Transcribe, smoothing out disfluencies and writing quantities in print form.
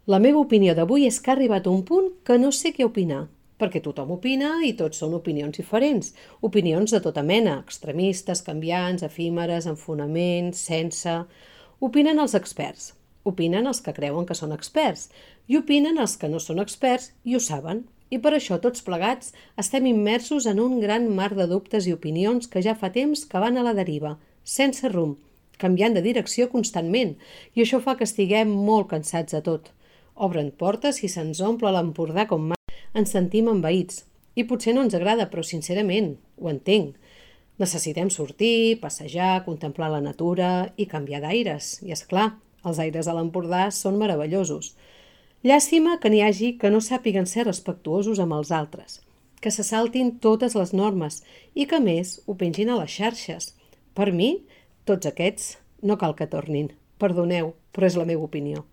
La meva opinió d'avui és que ha arribat un punt que no sé què opinar, perquè tothom opina i tots són opinions diferents. Opinions de tota mena, extremistes, canviants, efímeres, amb fonaments, sense... Opinen els experts, opinen els que creuen que són experts i opinen els que no són experts i ho saben. I per això tots plegats estem immersos en un gran mar de dubtes i opinions que ja fa temps que van a la deriva, sense rumb, canviant de direcció constantment, i això fa que estiguem molt cansats de tot. Obren portes i se'ns omple l'Empordà com mai. Ens sentim envaïts. I potser no ens agrada, però sincerament, ho entenc. Necessitem sortir, passejar, contemplar la natura i canviar d'aires. I és clar, els aires a l'Empordà són meravellosos. Llàstima que n'hi hagi que no sàpiguen ser respectuosos amb els altres, que se saltin totes les normes i que, a més, ho pengin a les xarxes. Per mi, tots aquests no cal que tornin. Perdoneu, però és la meva opinió.